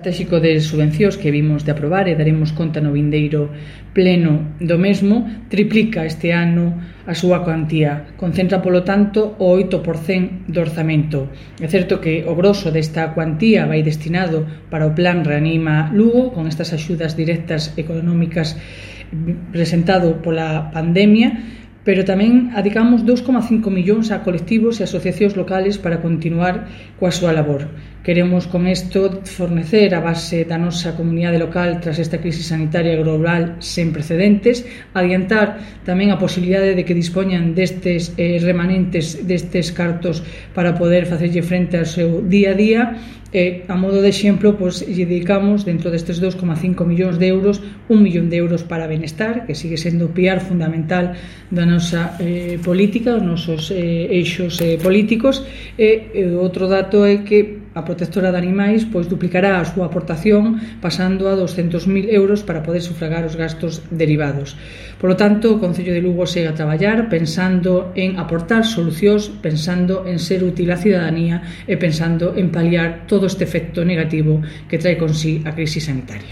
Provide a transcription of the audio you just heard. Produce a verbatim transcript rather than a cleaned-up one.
estratégico de subvencións que vimos de aprobar e daremos conta no vindeiro pleno do mesmo, triplica este ano a súa cuantía. Concentra, polo tanto, o oito por cento do orzamento. É certo que o grosso desta cuantía vai destinado para o Plan Reanima Lugo, con estas axudas directas económicas presentado pola pandemia, pero tamén adicamos dous coma cinco millóns a colectivos e asociacións locales para continuar coa súa labor. Queremos con isto fornecer a base da nosa comunidade local tras esta crise sanitaria global sen precedentes, adiantar tamén a posibilidade de que dispoñan destes eh, remanentes destes cartos para poder facerlle frente ao seu día a día. E, a modo de exemplo, pois, lle dedicamos dentro destes dous coma cinco millóns de euros un millón de euros para benestar, que sigue sendo o piar fundamental da nosa eh, política, os nosos eh, eixos eh, políticos. E, e outro dato é que a protectora de animais pois duplicará a súa aportación pasando a doscentos mil euros para poder sufragar os gastos derivados. Por lo tanto, o Concello de Lugo segue a traballar pensando en aportar solucións, pensando en ser útil á cidadanía e pensando en paliar todo este efecto negativo que trae con sí a crise sanitaria.